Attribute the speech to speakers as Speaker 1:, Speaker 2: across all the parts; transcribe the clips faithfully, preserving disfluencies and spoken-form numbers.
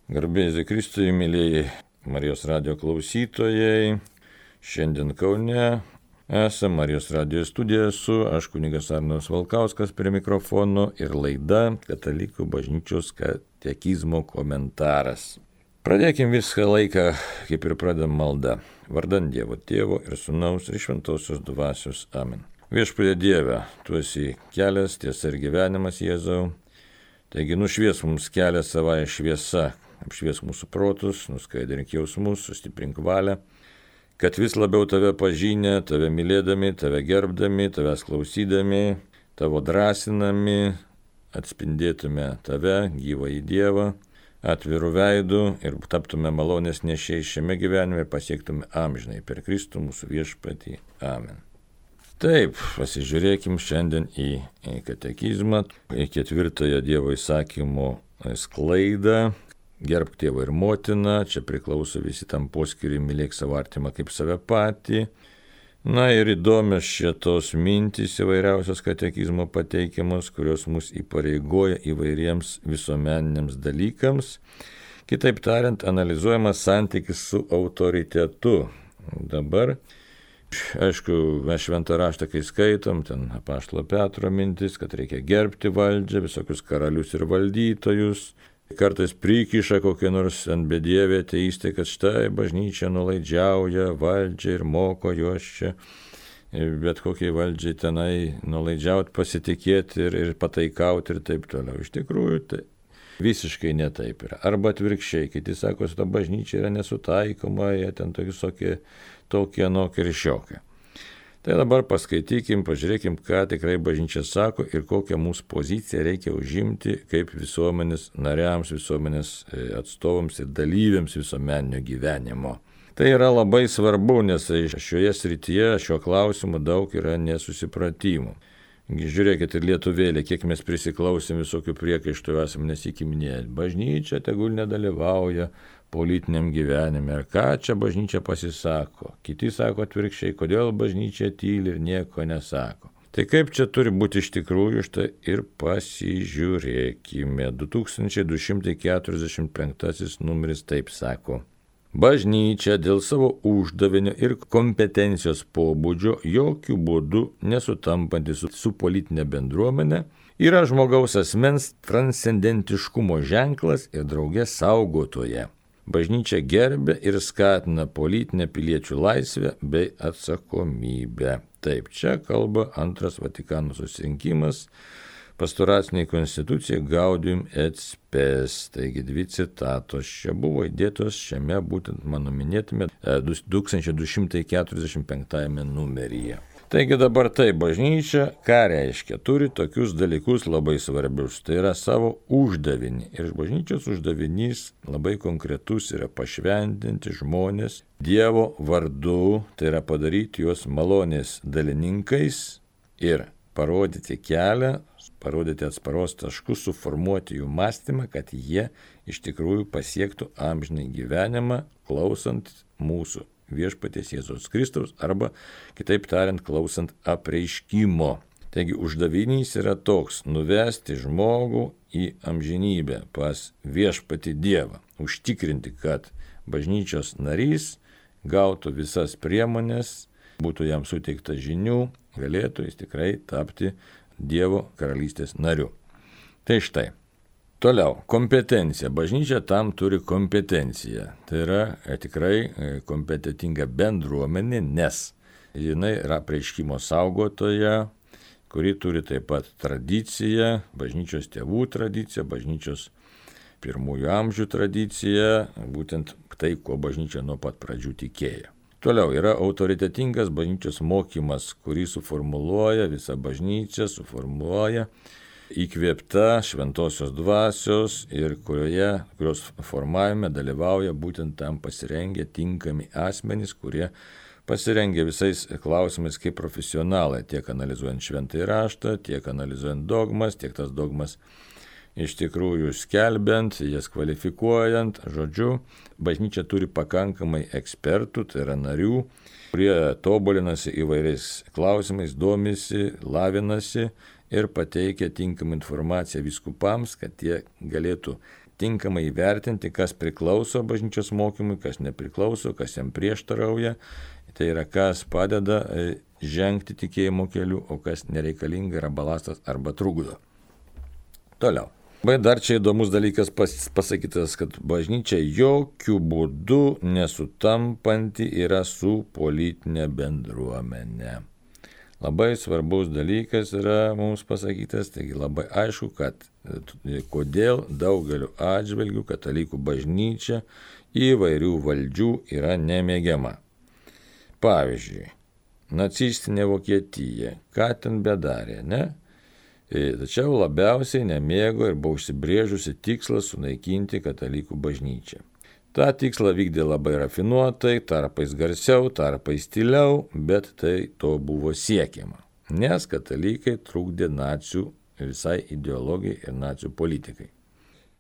Speaker 1: Garbėsiu Kristui, mėlyjei Marijos radijo klausytojai. Šiandien Kaune esame Marijos radijo studijoje su aš kunigas Arnas Valkauskas prie mikrofono ir laida Katalikų bažnyčios katekizmo komentaras. Pradėkim visą laiką, kaip ir pradam maldą. Vardan Dievo Tėvo ir Sūnaus ir Šventosios Dvasios. Amen. Viešpatie Dieve, Tu esi kelias, tiesa ir gyvenimas, Jėzau. Taigi nušvies mums kelią savąją šviesą. Apšvies mūsų protus, nuskaidrink jausmus, sustiprink valią, kad vis labiau Tave pažinę, Tave mylėdami, Tave gerbdami, Tavęs klausydami, Tavo drąsinami, atspindėtume Tave, gyvąjį Dievą, atvirų veidų ir taptume malonės nešiai šiame gyvenime ir pasiektume amžinai per Kristų mūsų viešpatį. Amen. Taip, pasižiūrėkim šiandien į, į katekizmą, į ketvirtojo Dievo įsakymo sklaidą. Gerbk tėvą ir motiną, čia priklauso visi tam poskiriui, mylėk savo artimą kaip save patį. Na ir įdomios šitos mintys įvairiausios katekizmo pateikiamos, kurios mus įpareigoja įvairiems visuomeniniams dalykams. Kitaip tariant, analizuojamas santykis su autoritetu. Dabar, aišku, mes šventą raštą, kai skaitom, ten apaštalo Petro mintis, kad reikia gerbti valdžią, visokius karalius ir valdytojus. Kartais prikiša kokie nors ant bedievė ateistai, kad štai bažnyčia nulaidžiauja valdžią ir moko juos čia. Bet kokiai valdžiai tenai nulaidžiauti, pasitikėti ir, ir pataikauti ir taip toliau. Iš tikrųjų, tai visiškai ne taip yra. Arba atvirkščiai, kiti sako, kad bažnyčia yra nesutaikoma, jie ten tokie, tokie, anokie ir šiokie. Tai dabar paskaitykim, pažiūrėkim, ką tikrai bažnyčia sako ir kokią mūsų poziciją reikia užimti kaip visuomenės nariams, visuomenės atstovams ir dalyviams visuomeninio gyvenimo. Tai yra labai svarbu, nes šioje srityje, šiuo klausimu daug yra nesusipratimų. Žiūrėkit ir lietuvėlė, kiek mes prisiklausėm visokių priekaištų, esame nesikiminėję. Bažnyčia tegul nedalyvauja politiniam gyvenime. Ar ką čia bažnyčia pasisako? Kiti sako atvirkščiai, kodėl bažnyčia tyli ir nieko nesako. Tai kaip čia turi būti iš tikrųjų, štai ir pasižiūrėkime. du tūkstančiai du šimtai keturiasdešimt penktasis numeris taip sako. Bažnyčia dėl savo uždavinio ir kompetencijos pobūdžio jokių būdų nesutampanti su, su politinė bendruomenė yra žmogaus asmens transcendentiškumo ženklas ir drauge saugotoja. Bažnyčia gerbia ir skatina politinę piliečių laisvę bei atsakomybę. Taip, čia kalba antras Vatikano susirinkimas, pastoraciniai konstitucijai Gaudium et Spes. Taigi dvi citatos čia buvo įdėtos šiame būtent mano minėtame du tūkstančiai du šimtai keturiasdešimt penktajame numeryje. Taigi dabar tai bažnyčia, ką reiškia, turi tokius dalykus labai svarbius, tai yra savo uždavinį. Ir bažnyčios uždavinys labai konkretus yra pašventinti žmonės Dievo vardu, tai yra padaryti juos malonės dalininkais ir parodyti kelią, parodyti atsparos taškus, suformuoti jų mąstymą, kad jie iš tikrųjų pasiektų amžinai gyvenimą, klausant mūsų viešpaties Jėzaus Kristaus arba, kitaip tariant, klausant apreiškimo. Taigi uždavinys yra toks – nuvesti žmogų į amžinybę pas viešpatį Dievą, užtikrinti, kad bažnyčios narys gautų visas priemonės, būtų jam suteikta žinių, galėtų jis tikrai tapti Dievo karalystės nariu. Tai štai. Toliau, kompetencija. Bažnyčia tam turi kompetenciją. Tai yra tikrai kompetentinga bendruomenė, nes jinai yra apreiškimo saugotoja, kuri turi taip pat tradiciją, bažnyčios tėvų tradiciją, bažnyčios pirmųjų amžių tradiciją, būtent tai, kuo bažnyčia nuo pat pradžių tikėjo. Toliau yra autoritetingas bažnyčios mokymas, kurį suformuluoja visa bažnyčia, suformuluoja įkvėpta šventosios dvasios ir kurioje, kurios formavime dalyvauja būtent tam pasirengę tinkami asmenys, kurie pasirengę visais klausimais kaip profesionalai, tiek analizuojant šventąjį raštą, tiek analizuojant dogmas, tiek tas dogmas iš tikrųjų skelbiant, jas kvalifikuojant. Žodžiu, bažnyčia turi pakankamai ekspertų, tai yra narių, kurie tobulinasi įvairiais klausimais, domisi, lavinasi ir pateikia tinkamą informaciją vyskupams, kad jie galėtų tinkamai įvertinti, kas priklauso bažnyčios mokymui, kas nepriklauso, kas jam prieštarauja. Tai yra, kas padeda žengti tikėjimo keliu, o kas nereikalinga yra balastas arba trukdo. Toliau. Bet dar čia įdomus dalykas pas, pasakytas, kad bažnyčia jokių būdų nesutampanti yra su politinė bendruomenė. Labai svarbus dalykas yra mums pasakytas, taigi labai aišku, kad kodėl daugeliu atžvilgių katalikų bažnyčia įvairių valdžių yra nemėgiama. Pavyzdžiui, nacistinė Vokietija, ką ten bedarė, ne? Tačiau labiausiai nemėgo ir buvo užsibrėžusi tikslą sunaikinti katalikų bažnyčią. Ta tikslą vykdė labai rafinuotai, tarpais garsiau, tarpais tyliau, bet tai to buvo siekiama, nes katalikai trukdė nacių visai ideologijai ir nacių politikai.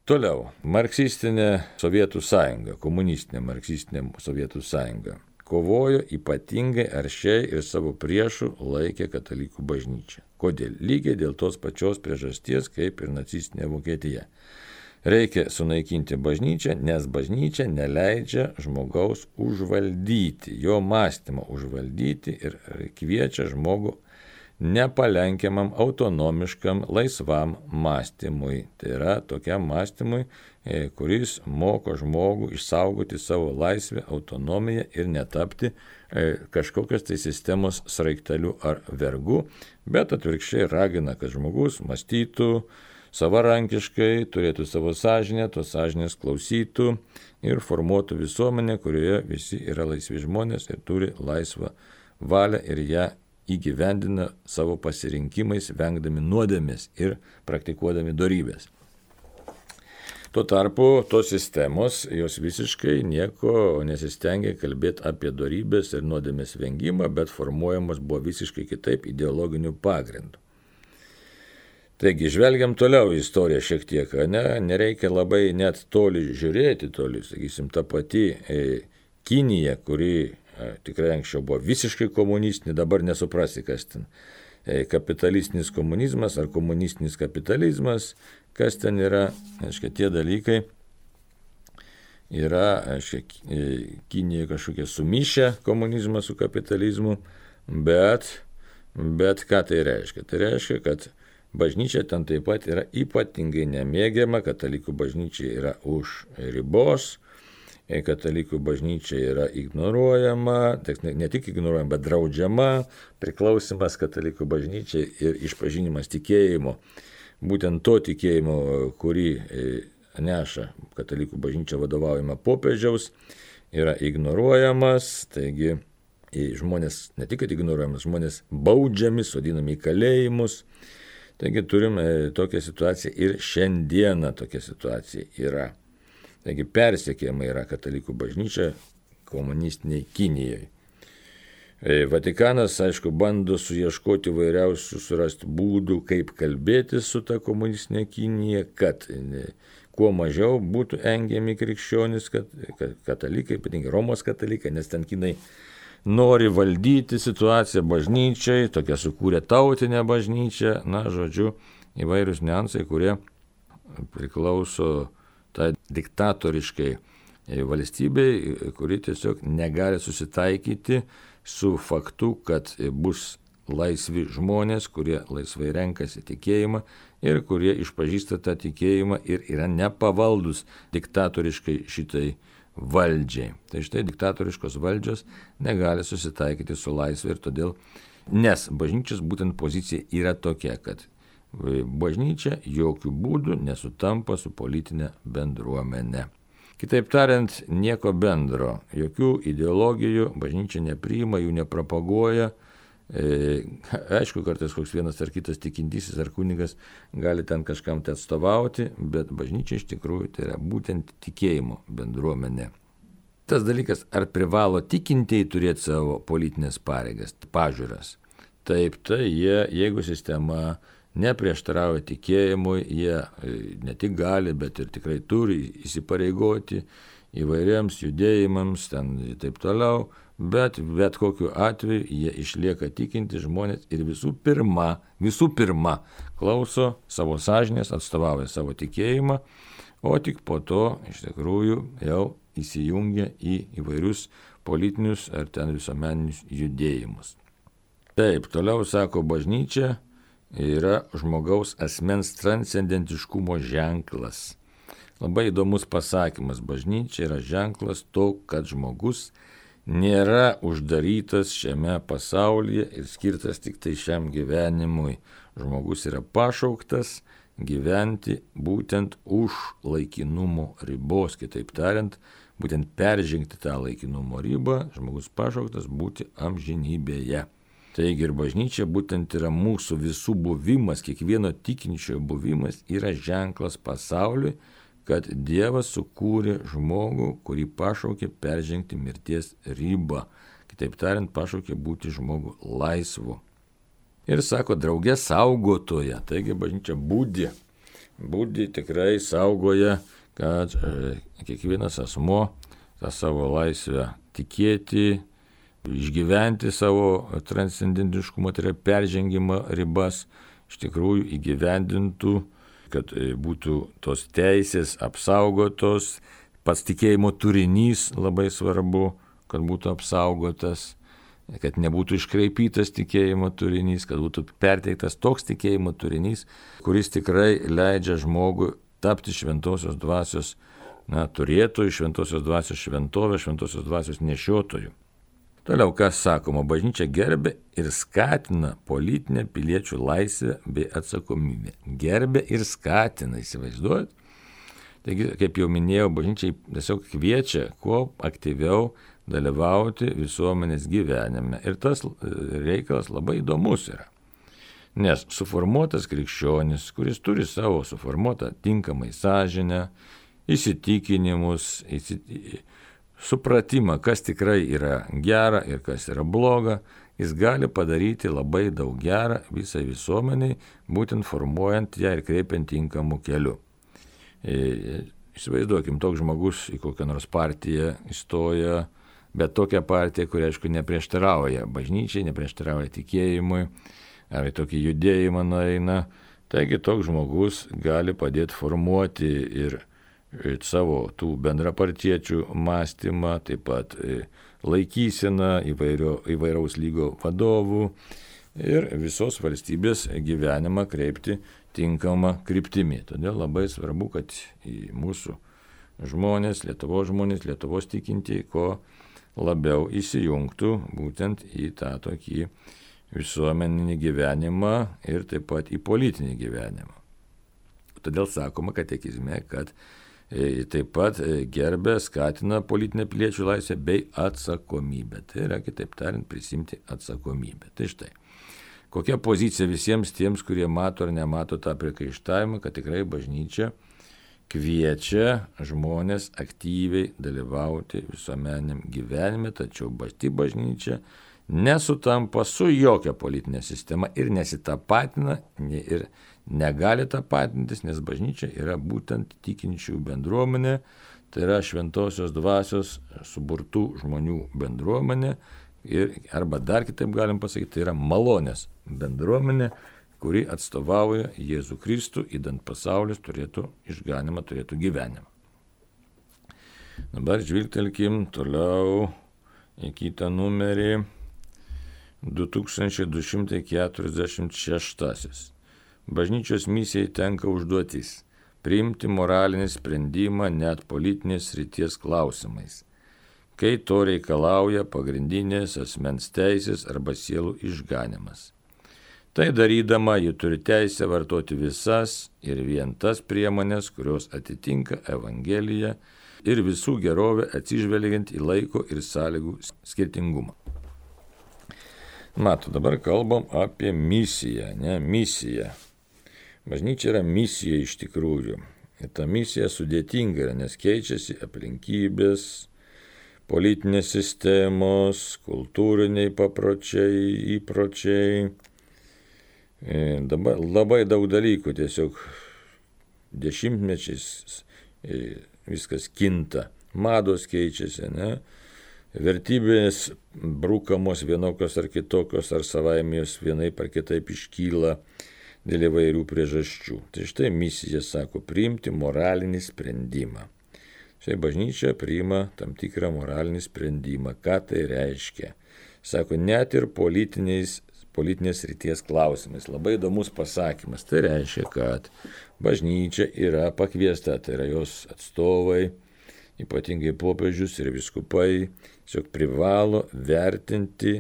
Speaker 1: Toliau, marksistinė Sovietų sąjunga, komunistinė marksistinė Sovietų sąjunga kovojo ypatingai aršiai ir savo priešų laikė katalikų bažnyčią. Kodėl? Lygiai dėl tos pačios priežasties, kaip ir nacistinė Vokietija. Reikia sunaikinti bažnyčią, nes bažnyčia neleidžia žmogaus užvaldyti, jo mąstymą užvaldyti ir kviečia žmogų nepalenkiamam, autonomiškam, laisvam mąstymui. Tai yra tokiam mąstymui, kuris moko žmogų išsaugoti savo laisvę, autonomiją ir netapti kažkokios tai sistemos sraigteliu ar vergu, bet atvirkščiai ragina, kad žmogus mąstytų savarankiškai, turėtų savo sąžinę, tos sąžinės klausytų ir formuotų visuomenę, kurioje visi yra laisvi žmonės ir turi laisvą valią ir ją įgyvendina savo pasirinkimais, vengdami nuodėmės ir praktikuodami dorybės. Tuo tarpu tos sistemos, jos visiškai nieko nesistengia kalbėti apie dorybės ir nuodėmės vengimą, bet formuojamos buvo visiškai kitaip ideologiniu pagrindu. Taigi, žvelgiam toliau į istoriją šiek tiek, ne? Nereikia labai net toli žiūrėti, toli, sakysim, ta pati e, Kinija, kuri e, tikrai anksčiau buvo visiškai komunistinė, dabar nesuprasi, kas ten. E, kapitalistinis komunizmas ar komunistinis kapitalizmas, kas ten yra, aiškia, tie dalykai yra, aiškia, Kinija kažkokie sumišę komunizmą su kapitalizmu, bet, bet ką tai reiškia? Tai reiškia, kad bažnyčia ten taip pat yra ypatingai nemėgiama, katalikų bažnyčia yra už ribos, katalikų bažnyčia yra ignoruojama, ne tik ignoruojama, bet draudžiama, priklausimas katalikų bažnyčiai ir išpažinimas tikėjimo. Būtent to tikėjimo, kurį neša katalikų bažnyčia vadovaujama popiežiaus, yra ignoruojamas, taigi žmonės, ne tik ignoruojamas, žmonės baudžiami, sodinami į kalėjimus. Taigi turime tokią situaciją ir šiandieną tokia situacija yra. Taigi persekiojama yra katalikų bažnyčia komunistiniai Kinijai. Vatikanas, aišku, bando suieškoti vairiausių surasti būdų, kaip kalbėti su ta komunistinė Kinija, kad kuo mažiau būtų engiami krikščionys, kad, kad katalikai, ypatingai Romos katalikai, nes ten Kinai nori valdyti situaciją bažnyčiai, tokia sukūrė tautinę bažnyčią, na, žodžiu, įvairius niuansai, kurie priklauso tai diktatoriškai valstybei, kuri tiesiog negali susitaikyti su faktu, kad bus laisvi žmonės, kurie laisvai renkasi tikėjimą ir kurie išpažįsta tą tikėjimą ir yra nepavaldus diktatoriškai šitai valdžiai. Tai štai diktatoriškos valdžios negali susitaikyti su laisvė ir todėl, nes bažnyčios būtent pozicija yra tokia, kad bažnyčia jokių būdų nesutampa su politinė bendruomenė. Kitaip tariant, nieko bendro, jokių ideologijų bažnyčia nepriima, jų nepropaguoja. E, aišku, kartais koks vienas ar kitas tikintysis ar kunigas gali ten kažkam tai atstovauti, bet bažnyčia iš tikrųjų tai yra būtent tikėjimo bendruomenė. Tas dalykas, ar privalo tikintieji turėti savo politinės pareigas, pažiūras. Taip, tai jie, jeigu sistema neprieštarauja tikėjimui, jie ne tik gali, bet ir tikrai turi įsipareigoti įvairiems judėjimams, ten taip toliau, bet bet kokiu atveju jie išlieka tikinti žmonės ir visų pirma, visų pirma klauso savo sąžinės, atstovauja savo tikėjimą, o tik po to iš tikrųjų jau įsijungia į įvairius politinius ar ten visuomeninius judėjimus. Taip, toliau sako, bažnyčia yra žmogaus asmens transcendentiškumo ženklas. Labai įdomus pasakymas, bažnyčia yra ženklas to, kad žmogus nėra uždarytas šiame pasaulyje ir skirtas tik tai šiam gyvenimui. Žmogus yra pašauktas gyventi būtent už laikinumo ribos, kitaip tariant, būtent peržengti tą laikinumo ribą, žmogus pašauktas būti amžinybėje. Taigi ir bažnyčia būtent yra mūsų visų buvimas, kiekvieno tikinčiojo buvimas yra ženklas pasauliui, kad Dievas sukūrė žmogų, kurį pašaukė peržengti mirties ribą. Kitaip tariant, pašaukė būti žmogų laisvu. Ir sako, draugė saugotoja. Taigi bažnyčia būdi. Būdi tikrai saugoja, kad e, kiekvienas asmo tą savo laisvę tikėti, išgyventi savo transcendentiškumą, tai yra peržengimo ribas, iš tikrųjų įgyvendintų, kad būtų tos teisės apsaugotos, pats tikėjimo turinys labai svarbu, kad būtų apsaugotas, kad nebūtų iškraipytas tikėjimo turinys, kad būtų perteiktas toks tikėjimo turinys, kuris tikrai leidžia žmogui tapti šventosios dvasios, na, turėtojų, šventosios dvasios šventovė, šventosios dvasios nešiotojų. Toliau, kas sakoma, bažnyčia gerbė ir skatina politinę piliečių laisvę bei atsakomybę. Gerbė ir skatina, įsivaizduojat? Taigi, kaip jau minėjau, bažnyčia tiesiog kviečia kuo aktyviau dalyvauti visuomenės gyvenime. Ir tas reikalas labai įdomus yra. Nes suformuotas krikščionis, kuris turi savo suformuotą tinkamai sąžinę, įsitikinimus, įsitikinimus, supratimą, kas tikrai yra gera ir kas yra bloga, jis gali padaryti labai daug gera visai visuomeniai, būtent formuojant ją ir kreipiant tinkamų kelių. Įsivaizduokim, toks žmogus į kokią nors partiją įstoja, bet tokią partiją, kuri, aišku, neprieštarauja bažnyčiai, neprieštarauja tikėjimui, ar į tokį judėjimą nueina. Taigi toks žmogus gali padėti formuoti ir savo tų bendrapartiečių mąstymą, taip pat laikyseną įvairio, įvairaus lygio vadovų ir visos valstybės gyvenimą kreipti tinkamą kryptimį. Todėl labai svarbu, kad į mūsų žmonės, Lietuvos žmonės, Lietuvos tikintieji, ko labiau įsijungtų būtent į tą tokį visuomeninį gyvenimą ir taip pat į politinį gyvenimą. Todėl sakoma katekizme, kad taip pat gerbė, skatina politinę piliečių laisvę bei atsakomybę. Tai yra, kitaip tariant, prisimti atsakomybę. Tai štai, kokia pozicija visiems tiems, kurie mato ar nemato tą priekaištavimą, kad tikrai bažnyčia kviečia žmonės aktyviai dalyvauti visuomeniniam gyvenime, tačiau pati bažnyčia nesutampa su jokia politinė sistema ir nesitapatina ir negali tapatintis, nes bažnyčia yra būtent tikinčių bendruomenė, tai yra šventosios dvasios suburtų žmonių bendruomenė ir, arba dar kitaip galim pasakyti, tai yra malonės bendruomenė, kuri atstovauja Jėzų Kristų, idant pasaulis turėtų išganimą, turėtų gyvenimą. Dabar žvilgtelkim toliau į kitą numerį, du tūkstančiai du šimtai keturiasdešimt šeštasis. Bažnyčios misijai tenka užduotis priimti moralinį sprendimą net politinės srities klausimais, kai to reikalauja pagrindinės asmens teisės arba sielų išganimas. Tai darydama, ji turi teisę vartoti visas ir vien tas priemonės, kurios atitinka Evangeliją ir visų gerovę atsižvelgiant į laiko ir sąlygų skirtingumą. Mato, dabar kalbam apie misiją, ne misiją. Bažnyčia yra misija iš tikrųjų. Ir ta misija sudėtinga yra, nes keičiasi aplinkybės, politinės sistemos, kultūriniai papročiai, įpročiai. Dabar labai daug dalykų, tiesiog dešimtmečiais viskas kinta, mados keičiasi, ne? Vertybės brūkamos vienokios ar kitokios, ar savaime jos vienaip ar kitaip iškyla. dėl įvairių priežasčių. Tai štai misija sako priimti moralinį sprendimą. Štai bažnyčia priima tam tikrą moralinį sprendimą. Ką tai reiškia? Sako, net ir politiniais, politinės ryties klausimais. Labai įdomus pasakymas. Tai reiškia, kad bažnyčia yra pakviesta, tai yra jos atstovai, ypatingai popiežius ir vyskupai, tiesiog privalo vertinti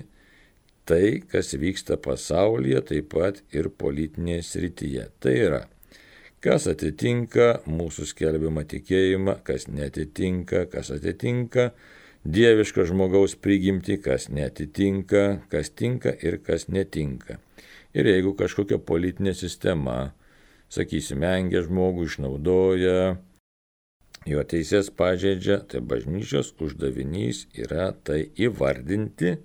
Speaker 1: tai, kas vyksta pasaulyje, taip pat ir politinėje srityje. Tai yra, kas atitinka mūsų skelbiamą tikėjimą, kas netitinka, kas atitinka dievišką žmogaus prigimtį, kas netitinka, kas tinka ir kas netinka. Ir jeigu kažkokia politinė sistema, sakysime, engia žmogų, išnaudoja, jo teisės pažeidžia, tai bažnyčios uždavinys yra tai įvardinti,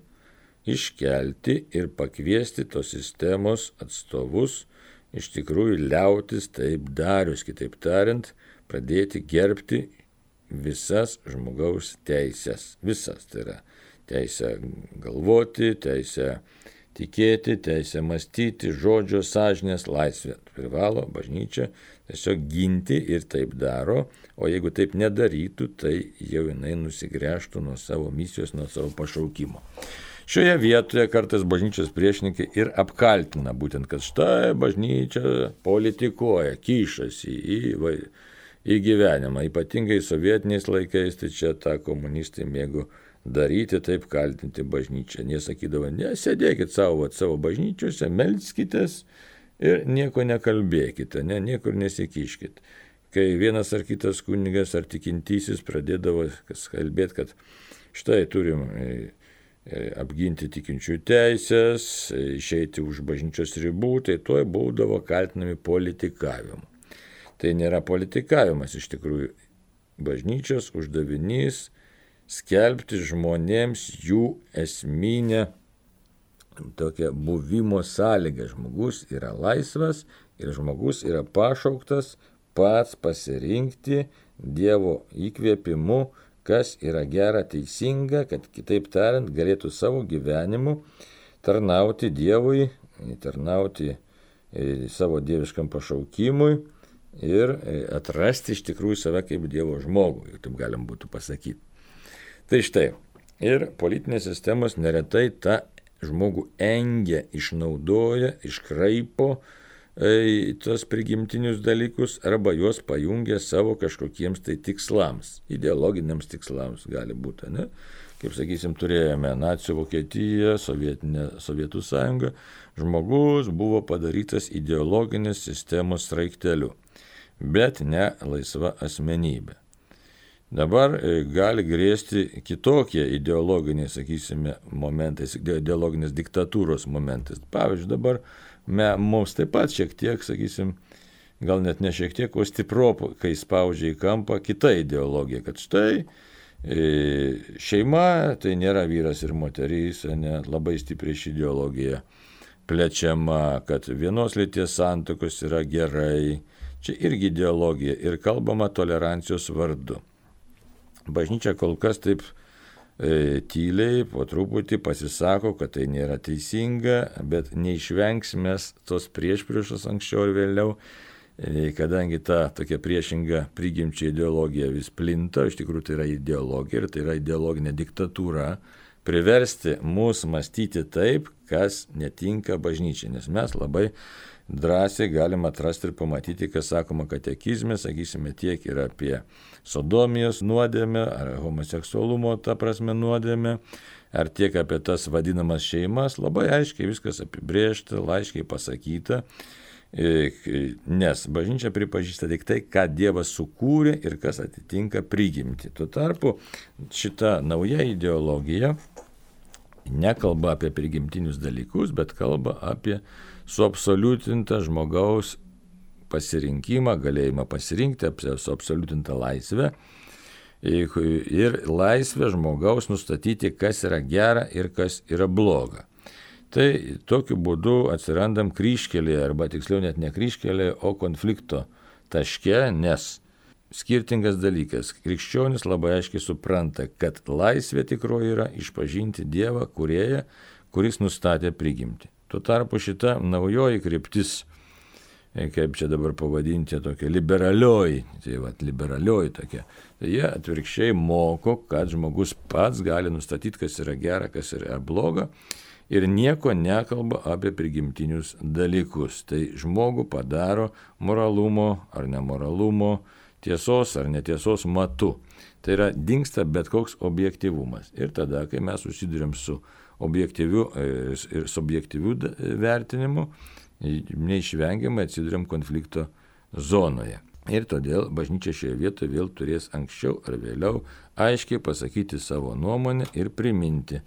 Speaker 1: iškelti ir pakviesti tos sistemos atstovus iš tikrųjų liautis taip darius, kitaip tariant, pradėti gerbti visas žmogaus teisės. Visas, tai yra teisę galvoti, teisę tikėti, teisę mąstyti, žodžio, sąžinės, laisvė. Privalo bažnyčia tiesiog ginti ir taip daro, o jeigu taip nedarytų, tai jau jinai nusigręžtų nuo savo misijos, nuo savo pašaukimo. Šioje vietoje kartais bažnyčios priešininkai ir apkaltina būtent, kad štai bažnyčia politikuoja, kišasi į, į, į gyvenimą. Ypatingai sovietiniais laikais, tai čia tą komunistai mėgo daryti, taip kaltinti bažnyčią. Jie sakydavo, nesėdėkit savo, savo bažnyčiose, melskitės ir nieko nekalbėkite, ne, niekur nesikiškit. Kai vienas ar kitas kunigas ar tikintysis pradėdavo kalbėti, kad štai turim apginti tikinčių teisės, išeiti už bažnyčios ribų, tai tuoj būdavo kaltinami politikavimu. Tai nėra politikavimas iš tikrųjų. Bažnyčios uždavinys skelbti žmonėms jų esminę tokią buvimo sąlygą. Žmogus yra laisvas ir žmogus yra pašauktas pats pasirinkti Dievo įkvėpimu, kas yra gera, teisinga, kad kitaip tariant galėtų savo gyvenimu tarnauti Dievui, tarnauti savo dieviškam pašaukimui ir atrasti iš tikrųjų save kaip Dievo žmogų, taip galim būtų pasakyti. Tai štai, ir politinės sistemos neretai tą žmogų engia, išnaudoja, iškraipo e, tos prigimtinius dalykus arba juos pajungia savo kažkokiems tai tikslams, ideologiniams tikslams gali būti, ne? Kaip sakysim, turėjome nacių Vokietiją, Sovietinę, Sovietų sąjungą, žmogus buvo padarytas ideologinės sistemos sraigteliu, bet ne laisva asmenybė. Dabar gali grėsti kitokie ideologiniai, sakysime, momentais, ideologinės diktatūros momentais. Pavyzdžiui, dabar me, mums taip pat šiek tiek, sakysim, gal net ne šiek tiek, o stipropo, kai spaudžia į kampą kita ideologija, kad štai e, šeima tai nėra vyras ir moteris, ne, labai stipriai ši ideologija plečiama, kad vienos lyties santuokos yra gerai. Čia irgi ideologija ir kalbama tolerancijos vardu. Bažnyčia kol kas taip e, tyliai, po truputį pasisako, kad tai nėra teisinga, bet neišvengsime tos priešpriešos anksčiau ir vėliau, e, kadangi ta tokia priešinga prigimčiai ideologija vis plinta, iš tikrųjų tai yra ideologija ir tai yra ideologinė diktatūra, priversti mus mąstyti taip, kas netinka bažnyčiai, nes mes labai drąsiai galime atrasti ir pamatyti, kas sakoma katekizme, sakysime, tiek ir apie sodomijos nuodėmę, ar homoseksualumo, ta prasme, nuodėmę, ar tiek apie tas vadinamas šeimas, labai aiškiai viskas apibrėžta, aiškiai pasakyta, nes bažnyčia pripažįsta tik tai, ką Dievas sukūrė ir kas atitinka prigimtį. Tuo tarpu šita nauja ideologija nekalba apie prigimtinius dalykus, bet kalba apie suabsoliutintą žmogaus pasirinkimą, galėjimą pasirinkti, suabsoliutintą laisvę ir laisvę žmogaus nustatyti, kas yra gera ir kas yra bloga. Tai tokiu būdu atsirandam kryžkelėje, arba tiksliau net ne kryžkelėje, o konflikto taške, nes skirtingas dalykas. Krikščionis labai aiškiai supranta, kad laisvė tikroji yra išpažinti Dievą, kūrėją, kuris nustatė prigimtį. Tuo tarpu šita naujoji kryptis kaip čia dabar pavadinti, tokia liberalioji, tai va, liberalioji tokia. Tai jie atvirkščiai moko, kad žmogus pats gali nustatyti, kas yra gera, kas yra bloga ir nieko nekalba apie prigimtinius dalykus. Tai žmogų padaro moralumo ar nemoralumo, tiesos ar netiesos matu. Tai yra dingsta bet koks objektyvumas. Ir tada, kai mes susiduriam su objektyviu ir subjektyviu vertinimu, neišvengiamai atsiduriam konflikto zonoje. Ir todėl bažnyčia šioje vietoje vėl turės anksčiau ar vėliau aiškiai pasakyti savo nuomonę ir priminti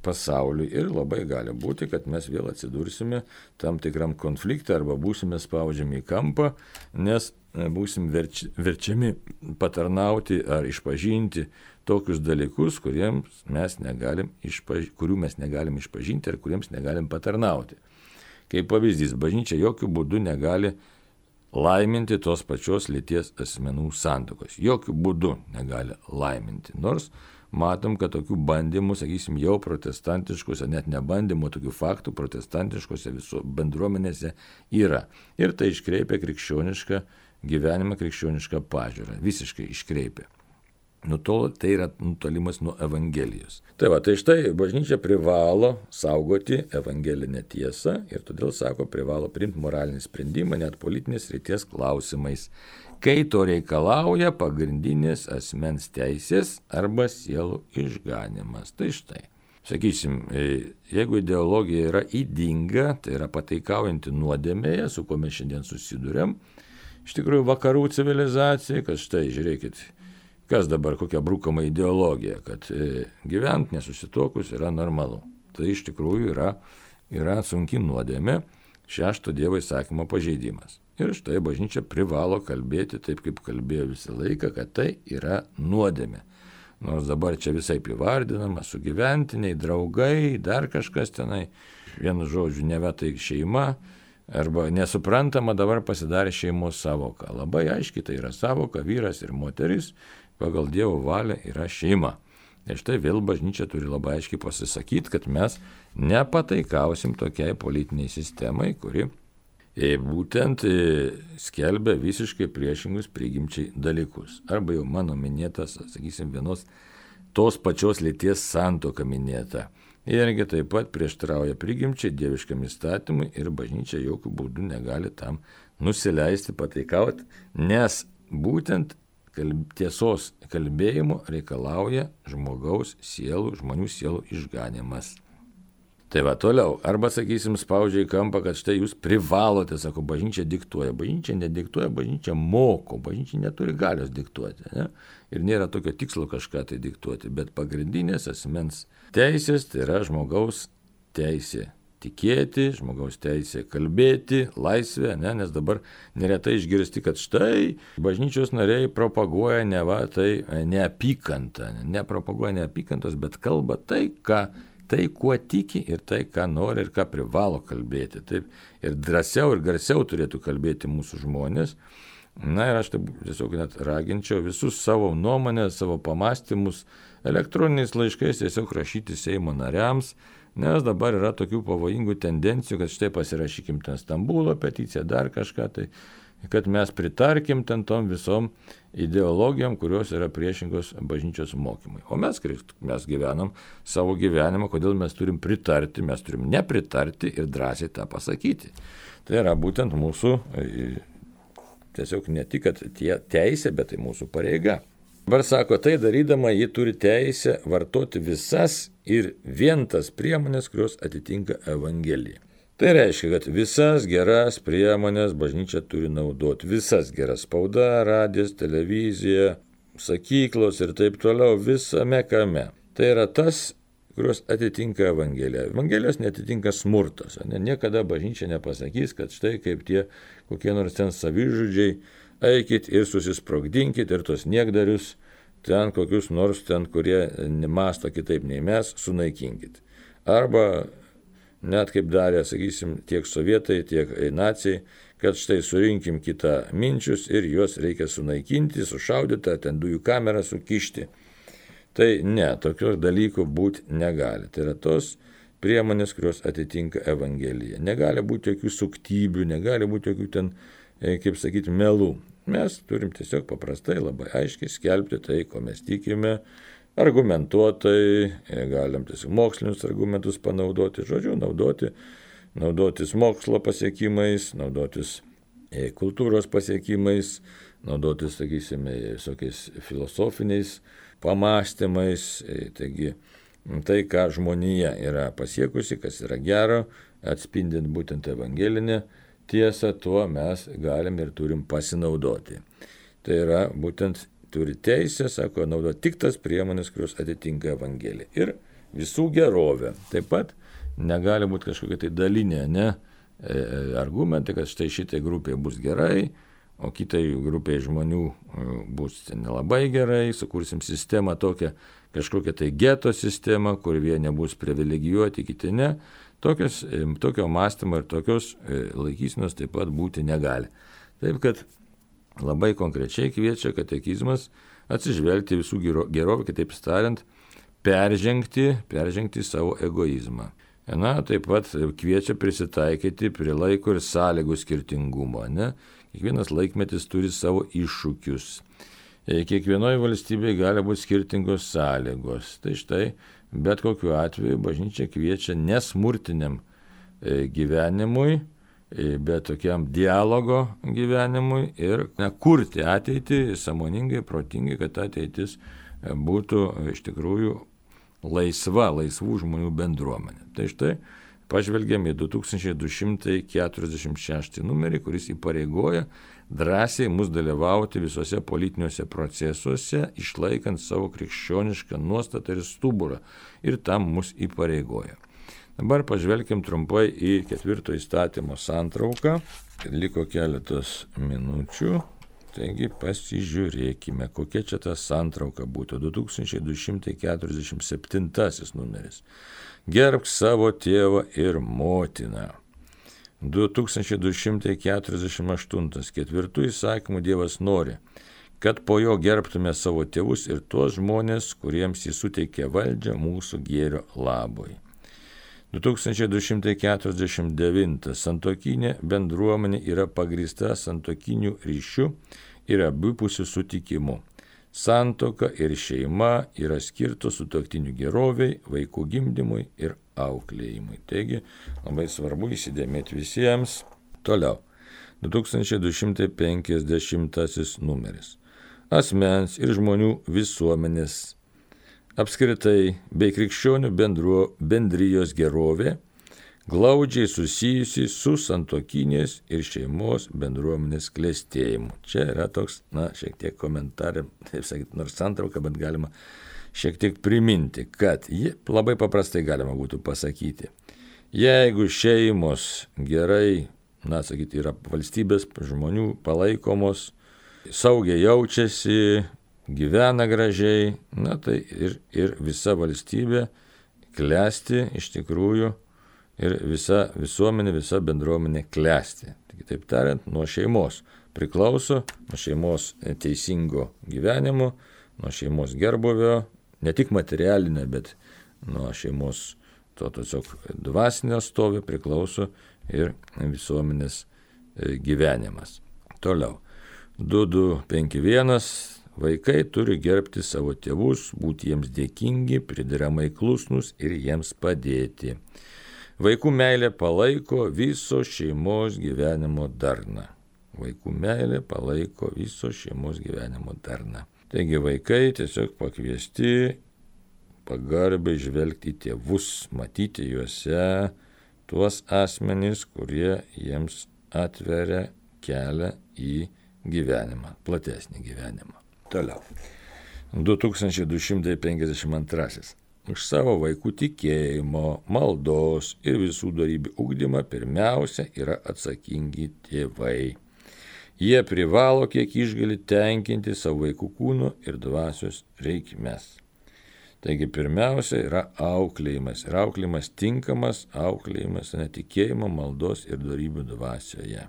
Speaker 1: pasauliui. Ir labai gali būti, kad mes vėl atsidursime tam tikram konfliktą arba būsime spaudžiami į kampą, nes būsim verči, verčiami patarnauti ar išpažinti tokius dalykus, kuriems mes negalim išpaž... kurių mes negalim išpažinti ir kuriems negalim patarnauti. Kaip pavyzdys, bažnyčia jokių būdų negali laiminti tos pačios lyties asmenų santuokos. Jokių būdų negali laiminti. Nors matom, kad tokių bandymų, sakysim, jau protestantiškose, net ne bandymų, tokių faktų protestantiškose viso bendruomenėse yra. Ir tai iškreipia krikščionišką gyvenimą, krikščionišką pažiūrą. Visiškai iškreipia. Nutolo, tai yra nutolimas nuo Evangelijos. Tai va, tai štai bažnyčia privalo saugoti evangelinę tiesą ir todėl, sako, privalo priimti moralinį sprendimą net politinės srities klausimais, kai to reikalauja pagrindinės asmens teisės arba sielų išganimas. Tai štai, sakysim, jeigu ideologija yra ydinga, tai yra pataikaujanti nuodėmėje, su kuo mes šiandien susiduriam, iš tikrųjų vakarų civilizacijai, kad štai, žiūrėkit, kas dabar kokia brūkama ideologija, kad gyvent nesusitokus yra normalu. Tai iš tikrųjų yra, yra sunki nuodėmė, šešto Dievo įsakymo pažeidimas. Ir štai bažnyčia privalo kalbėti taip, kaip kalbėjo visą laiką, kad tai yra nuodėmė. Nors dabar čia visai įvardinama, sugyventiniai, draugai, dar kažkas tenai, vienu žodžiu, neva tai šeima, arba nesuprantama dabar pasidarė šeimos savoka. Labai aiškiai tai yra savoka, vyras ir moteris, pagal Dievo valią yra šeima. Ir štai vėl bažnyčia turi labai aiškiai pasisakyti, kad mes nepataikausim tokiai politiniai sistemai, kuri būtent skelbia visiškai priešingus prigimčiai dalykus. Arba jau mano minėtas, sakysim, vienos tos pačios lyties santuoka minėta. Irgi taip pat prieštarauja prigimčiai, dieviškam įstatymui ir bažnyčia jokių būdų negali tam nusileisti, pataikauti, nes būtent kalb, tiesos kalbėjimo reikalauja žmogaus sielų, žmonių sielų išganimas. Tai va toliau, arba sakysim spaudžia į kampą, kad štai jūs privalote, sako, bažnyčia diktuoja. Bažnyčia nediktuoja, bažnyčia moko, bažnyčia neturi galios diktuoti. Ne? Ir nėra tokio tikslo kažką tai diktuoti, bet pagrindinės asmens teisės tai yra žmogaus teisė tikėti, žmogaus teisė kalbėti, laisvė, ne? Nes dabar neretai išgirsti, kad štai bažnyčios nariai propaguoja ne va tai neapykantą, nepropaguoja neapykantos, bet kalba tai, ką tai, kuo tiki ir tai, ką nori ir ką privalo kalbėti. Taip, ir drąsiau ir garsiau turėtų kalbėti mūsų žmonės. Na ir aš taip tiesiog net raginčiau visus savo nuomonę, savo pamastymus elektroniniais laiškais tiesiog rašyti Seimo nariams, nes dabar yra tokių pavojingų tendencijų, kad štai pasirašykim ten Stambulo peticiją, dar kažką, tai kad mes pritarkim ten tom visom ideologijom, kurios yra priešingos bažnyčios mokymui. O mes, mes gyvenam savo gyvenimą, kodėl mes turim pritarti, mes turim nepritarti ir drąsiai tą pasakyti. Tai yra būtent mūsų, tiesiog ne tik, kad tie teisė, bet tai mūsų pareiga. Dabar sako, tai darydama ji turi teisę vartoti visas ir vien tas priemonės, kurios atitinka Evangeliją. Tai reiškia, kad visas geras priemonės bažnyčia turi naudoti, visas geras spauda, radijas, televizija, sakyklos ir taip toliau, visame kame. Tai yra tas, kurios atitinka Evangeliją. Evangelijos netitinka smurtas. Ne? Niekada bažnyčia nepasakys, kad štai kaip tie kokie nors ten savižudžiai, eikit ir susisprogdinkit ir tos niekdarius ten kokius nors ten, kurie nemasto kitaip nei mes, sunaikinkit. Arba net kaip darė, sakysim, tiek sovietai, tiek naciai, kad štai surinkim kitą minčius ir juos reikia sunaikinti, sušaudyti, ten dujų kamerą sukišti. Tai ne, tokios dalykų būti negali. Tai yra tos priemonės, kurios atitinka Evangeliją. Negali būti jokių suktybių, negali būti jokių ten, kaip sakyti, melų. Mes turim tiesiog paprastai labai aiškiai skelbti tai, ko mes tikime, argumentuotai, galim tiesiog mokslinius argumentus panaudoti, žodžiu, naudoti, naudotis mokslo pasiekimais, naudotis kultūros pasiekimais, naudotis, sakysime, visokiais filosofiniais pamastymais. Taigi, tai, ką žmonija yra pasiekusi, kas yra gero, atspindint būtent evangelinę tiesą, tuo mes galim ir turim pasinaudoti. Tai yra būtent turi teisę, sako, naudoti tik tas priemonės, kurios atitinka Evangeliją. Ir visų gerovė. Taip pat negali būti kažkokia tai dalinė, ne, argumentai, kad štai šitai grupiai bus gerai, o kitai grupiai žmonių bus nelabai gerai, sukursim sistemą tokią, kažkokią tai geto sistemą, kur vieni bus privilegijuoti, kiti ne. Tokios, tokio mąstymo ir tokios laikysenos taip pat būti negali. Taip kad labai konkrečiai kviečia katekizmas atsižvelgti visų gerovę, kitaip tariant, peržengti, peržengti savo egoizmą. Na, taip pat kviečia prisitaikyti prie laiko ir sąlygų skirtingumo. Ne? Kiekvienas laikmetis turi savo iššūkius. Kiekvienoje valstybėje gali būti skirtingos sąlygos. Tai štai, bet kokiu atveju bažnyčia kviečia nesmurtiniam gyvenimui, bet tokiam dialogo gyvenimui ir ne, kurti ateitį sąmoningai, protingai, kad ateitis būtų iš tikrųjų laisva, laisvų žmonių bendruomenė. Tai štai pažvelgėme į du tūkstančiai du šimtai keturiasdešimt šeštą numerį, kuris įpareigoja drąsiai mus dalyvauti visose politiniuose procesuose, išlaikant savo krikščionišką nuostatą ir stuburą. Ir tam mus įpareigoja. Dabar pažvelkim trumpai į ketvirto įstatymo santrauką. Liko keletos minučių. Taigi pasižiūrėkime, kokia čia ta santrauka būtų. du tūkstančiai du šimtai keturiasdešimt septintasis numeris. Gerbk savo tėvą ir motiną. du tūkstančiai du šimtai keturiasdešimt aštuntas. Ketvirtų įsakymų Dievas nori, kad po jo gerbtume savo tėvus ir tuos žmonės, kuriems jis suteikė valdžią mūsų gėrio labui. du tūkstančiai du šimtai keturiasdešimt devintas. Santuokinė bendruomenė yra pagrįsta santuokiniu ryšiu ir abipusiu sutikimu. Santuoka ir šeima yra skirtos sutuoktinių geroviai, vaikų gimdymui ir auklėjimui. Taigi labai svarbu įsidėmėti visiems. Toliau. du tūkstančiai du šimtai penkiasdešimtasis numeris. Asmens ir žmonių visuomenės apskritai bei krikščionių bendruo, bendrijos gerovė glaudžiai susijusi su santuokinės ir šeimos bendruomenės klestėjimu. Čia yra toks, na, šiek tiek komentarė, taip sakyti, nors santrauka, bet galima šiek tiek priminti, kad ji labai paprastai galima būtų pasakyti. Jeigu šeimos gerai, na, sakyti, yra valstybės žmonių palaikomos, saugiai jaučiasi, gyvena gražiai, na tai ir, ir visa valstybė klesti iš tikrųjų ir visa visuomenė, visa bendruomenė klesti. Kitaip tariant, nuo šeimos priklauso, nuo šeimos teisingo gyvenimo, nuo šeimos gerbuvio, ne tik materialinė, bet nuo šeimos to tiesiog dvasinio stovio priklauso ir visuomenės gyvenimas. Toliau. du du penki vienas. Vaikai turi gerbti savo tėvus, būti jiems dėkingi, prideramai klusnus ir jiems padėti. Vaikų meilė palaiko viso šeimos gyvenimo darną. Vaikų meilė palaiko viso šeimos gyvenimo darną. Taigi vaikai tiesiog pakviesti pagarbiai žvelgti į tėvus, matyti juose tuos asmenys, kurie jiems atveria kelią į gyvenimą, platesnį gyvenimą. Toliau. du tūkstančiai du šimtai penkiasdešimt antrasis. Už savo vaikų tikėjimo, maldos ir visų dorybių ugdymą pirmiausia yra atsakingi tėvai. Jie privalo kiek išgali tenkinti savo vaikų kūno ir dvasios reikmes. Taigi pirmiausia yra auklėjimas. Ir auklėjimas tinkamas, auklėjimas netikėjimo, maldos ir dorybių dvasioje.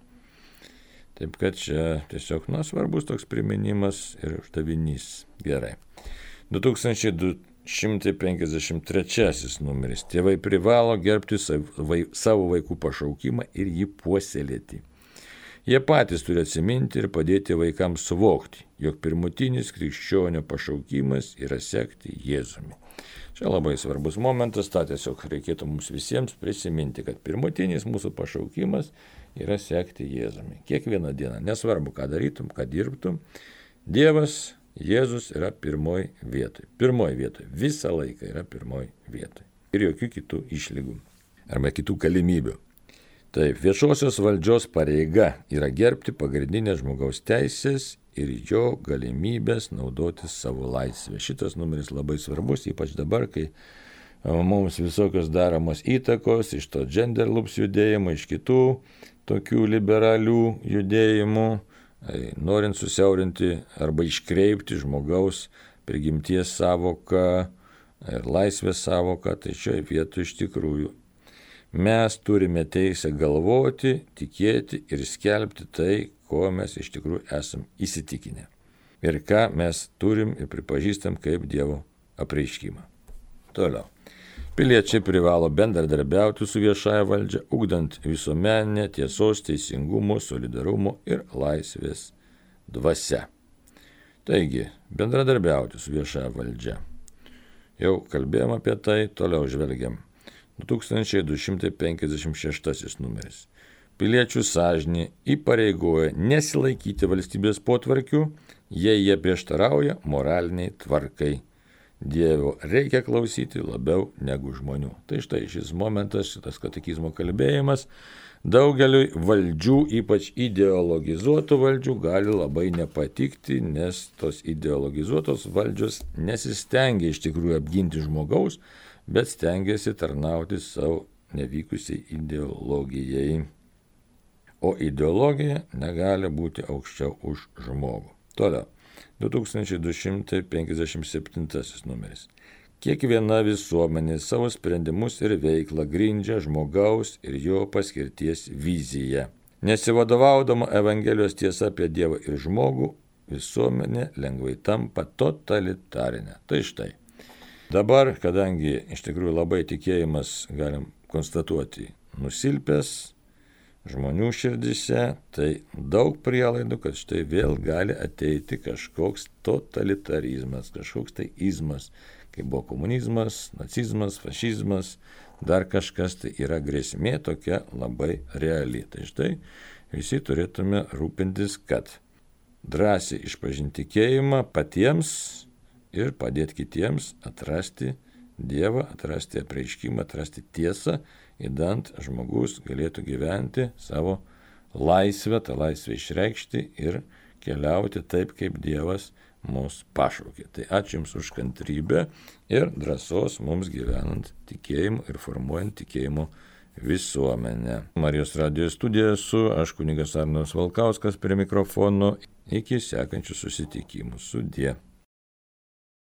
Speaker 1: Taip kad čia tiesiog, na, svarbus toks priminimas ir uždavinys. Gerai. du tūkstančiai šimtas penkiasdešimt trečiasis numeris. Tėvai privalo gerbti savo vaikų pašaukimą ir jį puoselėti. Jie patys turi atsiminti ir padėti vaikams suvokti, jog pirmutinis krikščionio pašaukimas yra sekti Jėzumi. Čia labai svarbus momentas, tą tiesiog reikėtų mums visiems prisiminti, kad pirmutinis mūsų pašaukimas yra sekti Jėzumi. Kiekvieną dieną, nesvarbu, ką darytum, ką dirbtum, Dievas, Jėzus yra pirmoj vietoj. Pirmoj vietoj. Visą laiką yra pirmoj vietoj. Ir jokių kitų išlygų arba kitų galimybių. Taip, viešosios valdžios pareiga yra gerbti pagrindinės žmogaus teisės ir jo galimybės naudoti savo laisvę. Šitas numeris labai svarbus, ypač dabar, kai mums visokios daromos įtakos iš to gender loops judėjimo, iš kitų tokių liberalių judėjimų, norint susiaurinti arba iškreipti žmogaus prigimties savoką ir laisvės savoką, tai šioje vietoje iš tikrųjų mes turime teisę galvoti, tikėti ir skelbti tai, ko mes iš tikrųjų esam įsitikinę. Ir ką mes turim ir pripažįstam kaip Dievo apreiškimą. Toliau. Piliečiai privalo bendradarbiauti su viešąja valdžia, ugdant visuomeninę tiesos, teisingumo, solidarumo ir laisvės dvasia. Taigi, bendradarbiauti su viešąja valdžia. Jau kalbėjom apie tai, toliau žvelgiam. du tūkstančiai du šimtai penkiasdešimt šeštasis numeris. Piliečių sąžinė įpareigoja nesilaikyti valstybės potvarkių, jei jie prieštarauja moraliniai tvarkai. Dievo reikia klausyti labiau negu žmonių. Tai štai šis momentas, šitas katekizmo kalbėjimas, daugeliui valdžių, ypač ideologizuotų valdžių, gali labai nepatikti, nes tos ideologizuotos valdžios nesistengia iš tikrųjų apginti žmogaus, bet stengiasi tarnauti savo nevykusiai ideologijai. O ideologija negali būti aukščiau už žmogų. Toliau. du tūkstančiai du šimtai penkiasdešimt septintasis numeris. Kiekviena visuomenė savo sprendimus ir veiklą grindžia žmogaus ir jo paskirties viziją. Nesivadovaudama Evangelijos tiesa apie Dievą ir žmogų, visuomenė lengvai tampa totalitarinė. Tai štai. Dabar, kadangi iš tikrųjų labai tikėjimas, galim konstatuoti, nusilpęs žmonių širdise, tai daug prielaidų, kad štai vėl gali ateiti kažkoks totalitarizmas, kažkoks tai izmas, kaip buvo komunizmas, nacizmas, fašizmas, dar kažkas, tai yra grėsmė tokia labai reali. Tai štai visi turėtume rūpintis, kad drąsiai išpažinti tikėjimą patiems ir padėti kitiems atrasti Dievą, atrasti apreiškimą, atrasti tiesą, įdant žmogus galėtų gyventi savo laisvę, tą laisvę išreikšti ir keliauti taip, kaip Dievas mus pašaukė. Tai ačiū Jums už kantrybę ir drąsos mums gyvenant tikėjimu ir formuojant tikėjimo visuomenę. Marijos radijo studijoje su aš kunigas Arnas Valkauskas prie mikrofono. Iki sekančių susitikimų. Sudie.